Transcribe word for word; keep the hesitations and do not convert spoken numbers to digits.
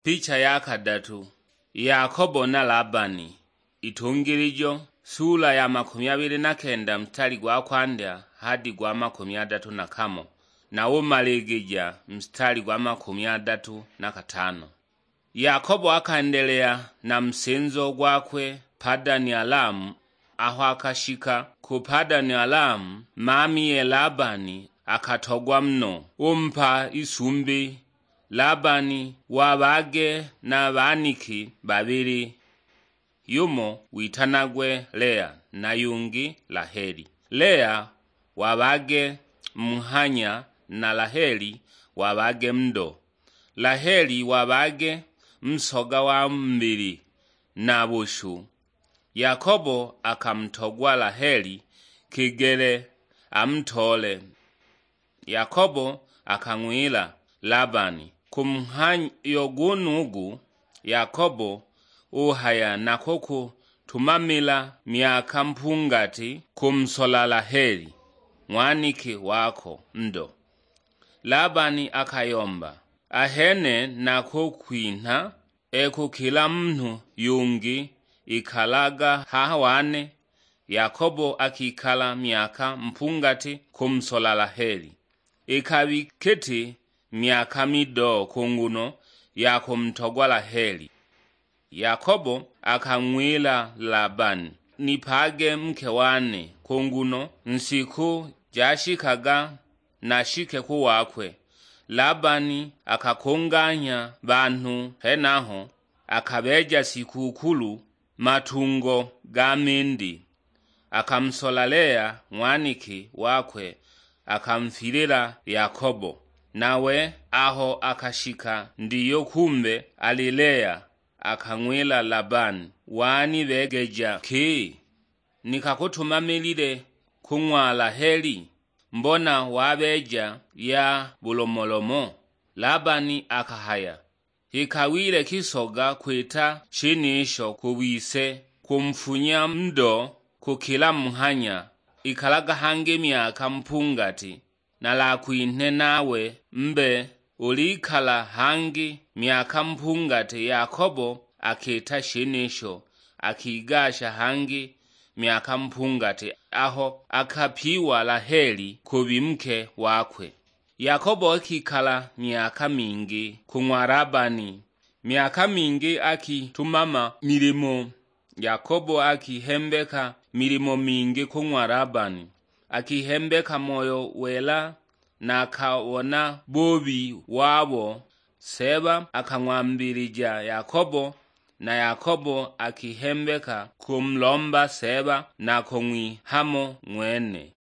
Picha ya kadatu. Yakobo na Labani. Itungilijo, sula ya makumi abili na kenda, mstari gwa kwandya hadi gwa makumi adatu na kamo, na umaligija mstari gwa makumi adatu na katano. Yakobo akendelea na musinzo gwakwe Padani Alamu. Aho akashika ku Padani Alamu, mamiye Labani akatogwa muno, umpa isumbi. Labani wabage na baniki babili, yumo witanagwe Lea na yungi Laheli. Lea wabage muhanya, na Laheli wabage mundo. Laheli wabage musoga wa mubili na bushu. Yakobo akamutogwa Laheli kigele amutoole. Yakobo akang'wila Labani, ku mhayo gwenugu, Yakobo uhaya, nakukutumamila myaka mpungati kumusola Laheli, ng'waniki wako ndo. Labani akayomba, ahene nakukwinha, e kukila munhu yungi ikalaga haha wane. Yakobo akikala myaka mpungati kumusola Laheli. Ikabi kiti myaka mido ku nguno ya kumutogwa Laheli. Yakobo akang'wila Labani, nipage muke wane, ku nguno nsiku jashikaga nashike ku wakwe. Labani akakunganya banhu henaho, akabeja sikukulu matungo ga mindi. Akamusola Lea ng'waniki wakwe, akamufilila Yakobo. Nawe aho akashika ndiyo, kumbe ali Lea, akang'wila Labani, wanibegeja ki? Nikakutumamilile ku ng'wa Laheli, mbona wabeja ya bulomolomo. Labani akahaya, ikawile kisoga kwita shenisho ku bise, kumufunya ndo kukila muhanya. Ikalaga hangi myaka mpungati, nalakwinhe nawe mbe ulikala hangi myaka mpungati. Yakobo akita shenisho, akigasha hangi myaka mpungati, aho akapiwa Laheli kubi muke wakwe. Yakobo akikala myaka mingi ku ng'wa Labani, myaka mingi akitumama milimo. Yakobo akihembeka milimo mingi ku ng'wa Labani, akihembeka moyo wela, na akabona bubi wabo. Seeba akang'wambilija Yakobo, na Yakobo akihembeka kumulomba Seeba na kung'wihamo ng'wene.